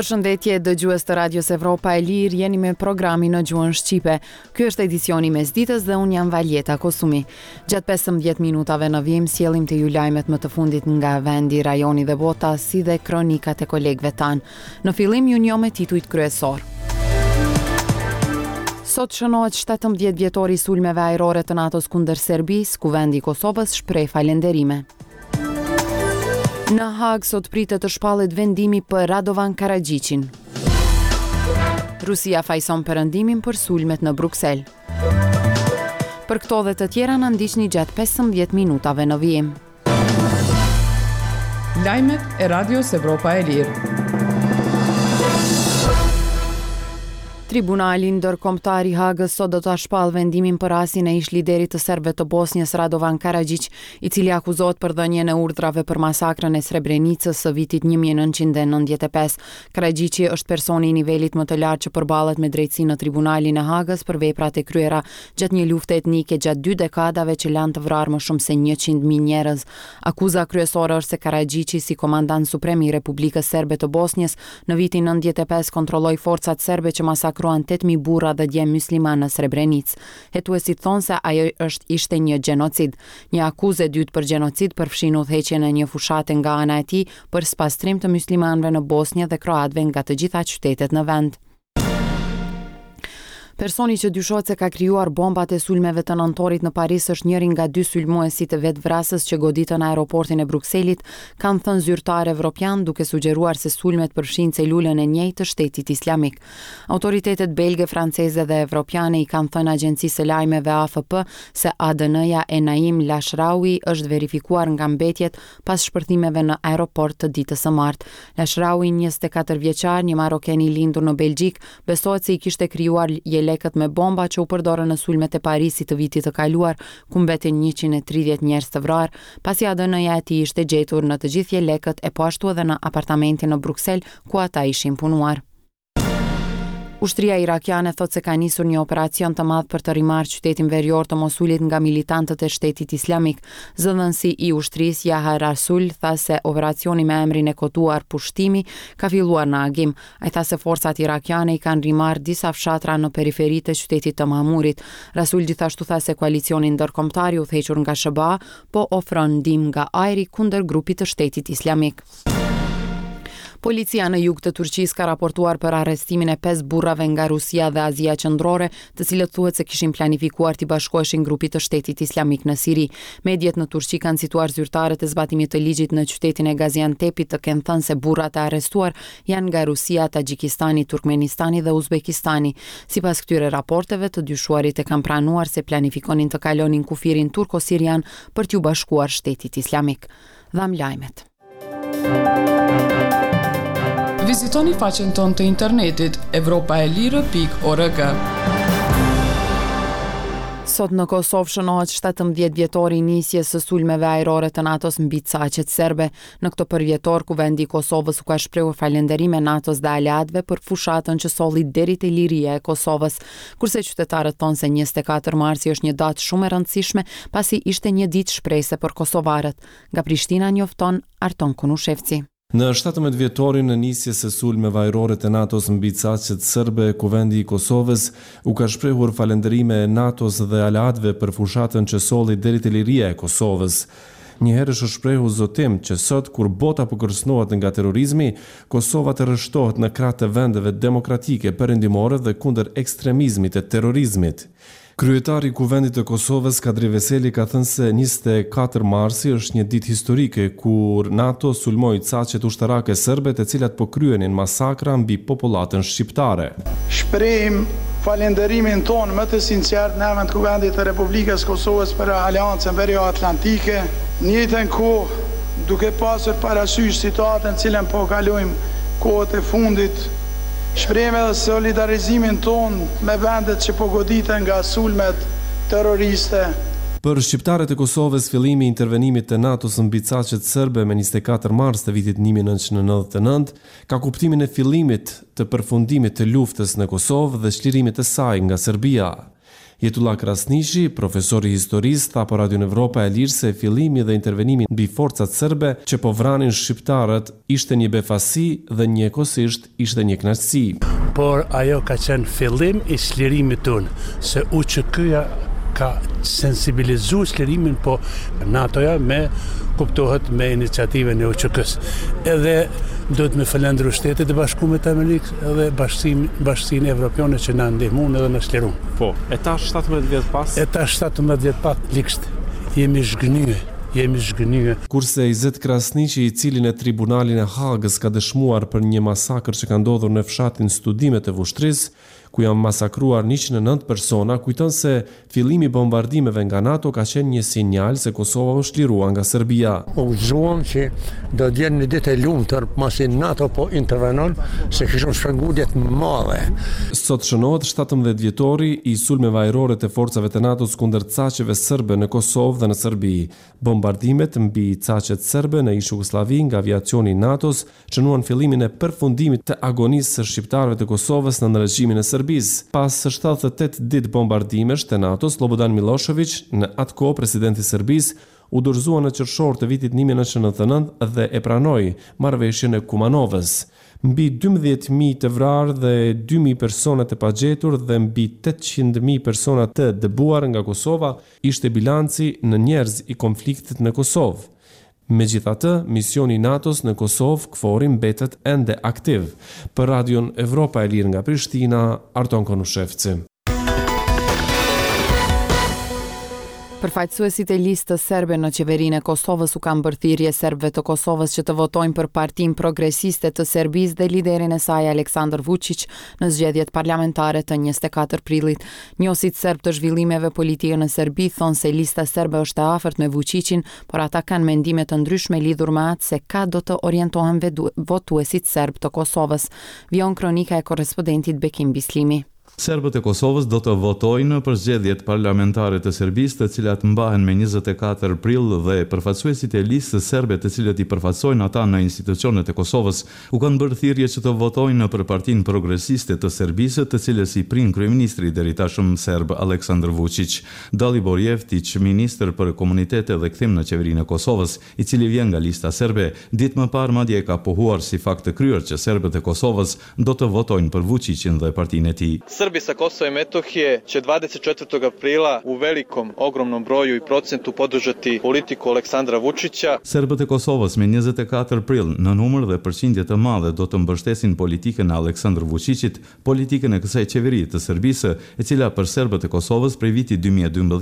Përshëndetje dëgjues të Radios Evropa e Lirë, jeni me programin në gjuhën shqipe. Ky është edicioni i mesditës dhe unë jam Valjeta Kosumi. Gjatë 15 minutave në vijim sjellim te ju lajmet më të fundit nga vendi, rajoni dhe bota, si dhe kronikat e kolegëve tanë. Në fillim ju njoh me titujt kryesorë. Sot shënohet 17 vjetori i sulmeve ajrore të NATO-s kundër Serbisë, Kuvendi i Kosovës shpreh falënderime. Në Hagë sot pritet të shpallet vendimi për Radovan Karaxhiqin. Rusia fajëson Perëndimin për sulmet në Bruksel. Për këto dhe të tjera na ndiqni gjatë 15 minutave në vijim. Lajmet e Radios Evropa e Lirë. Tribunali Ndërkombëtar i Hagës sot do ta shpallë vendimin për rastin e ish-liderit të serbëve të Bosnjës, Radovan Karaxhiq, i cili akuzohet për dhënien e urdhrave për masakrën e Srebrenicës së vitit 1995. Karaxhiqi është personi i nivelit më të lartë që përballet me drejtësinë në Tribunalin e Hagës për veprat e kryera gjatë një lufte etnike gjatë dy dekadave që lanë të vrarë më shumë se 100.000 njerëz. Akuza kryesore është se Karaxhiqi si komandant suprem i Republikës Serbe të Bosnjës në vitin 95 kontrolloi forcat serbe që masakruan 8.000 burra dhe djem myslimanë në Srebrenicë. Hetuesit thonë se ajo është ishte një gjenocid. Një akuzë e dytë për gjenocid përfshin udhëheqjen e një fushate nga ana e tij për spastrim të myslimanëve në Bosnjë dhe kroatëve nga të gjitha qytetet në vend. Personi që dyshohet se ka krijuar bombat e sulmeve të nëntorit në Paris është njëri nga dy sulmuesit vetëvrasës që goditën aeroportin e Brukselit, kanë thënë zyrtarë evropianë, duke sugjeruar se sulmet përfshijnë celulën e njëjtë të Shtetit Islamik. Autoritetet belge, franceze dhe evropiane i kanë thënë agjencisë së lajmeve AFP se ADN-ja e Naim Lashraoui është verifikuar nga mbetjet pas shpërthimeve në aeroport të ditës së martë. Lashraoui, 24 vjeçar, një maroken i lindur në Belgjikë, Besohet se i kishte krijuar jelekët me bomba që u përdorën në sulmet e Parisit të vitit të kaluar, ku mbetën 130 njerëz të vrarë, pasi ADN-ja e tij ishte gjetur në të gjithë jelekët e po ashtu edhe në apartamentin në Bruksel ku ata ishin punuar. Ushtria irakiane thotë se ka nisur një operacion të madh për të rimarrë qytetin verior të Mosulit nga militantët e Shtetit Islamik. Zëdhënësi i ushtrisë Jaha Rasul tha se operacioni me emrin e koduar Pushtimi ka filluar në agim. Ai tha se forcat irakiane i kanë rimarrë disa fshatra në periferi të qytetit të Mamurit. Rasul gjithashtu tha se koalicioni ndërkombëtar i udhëhequr nga SHBA po ofron ndihmë nga ajri kundër grupit të Shtetit Islamik. Policia në jug të Turqisë ka raportuar për arrestimin e 5 burrave nga Rusia dhe Azia Qendrore, të cilët thuhet se kishin planifikuar t'i bashkoheshin grupit të Shtetit Islamik në Siri. Mediet në Turqi kanë cituar zyrtarët e zbatimit të ligjit në qytetin e Gaziantepit të kenë thënë se burrat e arrestuar janë nga Rusia, Taxhikistani, Turkmenistani dhe Uzbekistani. Sipas këtyre raporteve, të dyshuarit e kanë pranuar se planifikonin të kalonin kufirin turko-sirian për t'iu bashkuar Shtetit Islamik. Dhamë lajmet. Vizitoni faqen tonë të internetit evropaelire.org. Sot në Kosovë shënohet 17 vjetori i nisjes së sulmeve ajrore të NATO-s mbi caqet serbe. Në këtë përvjetor, Kuvendi i Kosovës u ka shprehur falënderime NATO-s dhe aleatëve për fushatën që solli deri te liria e Kosovës. Kurse qytetarët thonë se 24 marsi është një datë shumë e rëndësishme, pasi ishte një ditë shprese për kosovarët. Nga Prishtina njofton Arton Konushevci. Në 17 vjetorin e nisjes së sulmeve ajrore të NATO-s mbi caqet serbe, Kuvendi i Kosovës u ka shprehur falënderime NATO-s dhe aleatëve për fushatën që solli deri te liria e Kosovës. Njëherësh u shprehu zotim që sot kur bota po kërcënohet nga terrorizmi, Kosova të rreshtohet në krah të vendeve demokratike perëndimore dhe kundër ekstremizmit e terrorizmit. Kryetari i Kuvendit të Kosovës, Kadri Veseli ka thënë se 24 marsi është një ditë historike kur NATO sulmoi caqet ushtarake serbe të cilat po kryenin masakra mbi popullatën shqiptare. Shprehim falënderimin tonë më të sinqertë në emër të Kuvendit të Republikës së Kosovës për Aleancën Verio-Atlantike, në njëjtën kohë, duke pasur parasysh situatën të cilën po kalojmë kohët e fundit, shprehim edhe solidarizimin tonë me vendet që po goditen nga sulmet terroriste. Për shqiptarët e Kosovës, fillimi i intervenimit të NATO-s mbi caqet serbe me 24 mars të vitit 1999 ka kuptimin e fillimit të përfundimit të luftës në Kosovë dhe çlirimit të saj nga Serbia. Jetullah Krasniqi, profesor i historisë, tha për Radion Evropa e Lirë se fillimi dhe intervenimi mbi forcat serbe që po vranin shqiptarët ishte një befasi dhe njëkohësisht ishte një kënaqësi. Por ajo ka qenë fillim i çlirimit tonë, se UÇK-ja ka sensibilizu çlirimin, po NATO-ja me kuptohet me iniciativën e UÇK-së. Edhe duhet me falënderu Shtetet e Bashkume të Amerikës edhe bashkësinë bashkësinë evropiane që na ndihmuan edhe na çliruan. Po, e tash 17 vjet pas? E tash 17 vjet pas ligsht jemi zhgënjye, jemi zhgënjye. Kurse Izet Krasniqi, i cili në Tribunalin e Hagës ka dëshmuar për një masakër që ka ndodhur në fshatin Studime të Vushtrrisë, ku janë masakruar 109 persona, kujton se fillimi i bombardimeve nga NATO ka qenë një sinjal se Kosova u çlirua nga Serbia. U gëzuam që do të vjen një ditë e lumtur pasi NATO po intervenon, se kishim shpengu jetë të madhe. Sot shënohet 17 vjetori i sulmeve ajrore të forcave të NATO-s kundër caqeve serbe në Kosovë dhe në Serbi. Bombardimet mbi caqet serbe në ish-Jugosllavi nga aviacioni i NATO-s shënuan fillimin e përfundimit të agonisë së shqiptarëve të Kosovës nën regjimin e Serbisë. Pas 78 ditë bombardimesh të NATO-s, Sllobodan Millosheviq, në atë kohë president i Serbisë, u dorëzua në qershor të vitit 1999 dhe e pranoi marrëveshjen e Kumanovës. Mbi 12.000 të vrarë dhe 2.000 persona të pagjetur dhe mbi 800.000 persona të dëbuar nga Kosova ishte bilanci në njerëz i konfliktit në Kosovë. Megjithatë, misioni i NATO-s në Kosovë, KFOR-i mbetet ende aktiv. Për Radion Evropa e Lirë nga Prishtina, Arton Konushevci. Përfaqësuesit e listës serbe në qeverinë e Kosovës u kanë bërë thirrje serbëve të Kosovës që të votojnë për Partinë Progresiste të Serbisë dhe liderin e saj Aleksandar Vučić në zgjedhjet parlamentare të 24 prillit. Njohësit serbë të zhvillimeve politike në Serbi thonë se lista serbe është e afërt me Vučićin, por ata kanë mendime të ndryshme lidhur me atë se ka do të orientohen votuesit serbë të Kosovës. Vijon kronika e korrespondentit Bekim Bislimi. Serbët e Kosovës do të votojnë për zgjedhjet parlamentare të Serbisë, të cilat mbahen me 24 prill dhe përfaqësuesit e listës serbe të cilët i përfaqësojnë ata në institucionet e Kosovës, u kanë bërë thirrje që të votojnë për Partinë Progresiste të Serbisë, të cilës i prin kryeministri i deritashëm serb Aleksandar Vuçiq. Dalibor Jevtiq, ministër për Komunitete dhe Kthim në Qeverinë e Kosovës, i cili vjen nga Lista Serbe, ditë më parë madje e ka pohuar si fakt të kryer që serbët e Kosovës do të votojnë për Vuçiqin dhe partinë e tij. Srbi sa Kosova i Metohije će 24. aprila u velikom, ogromnom broju i procentu podržati politiku Aleksandra Vučića. Serbët e Kosovës me 24 prill, në numër dhe përqindje të madhe do të mbështesin politikën e Aleksandër Vuçiqit, politikën e kësaj qeverie të Serbisë, e cila për serbët e Kosovës prej vitit 2012.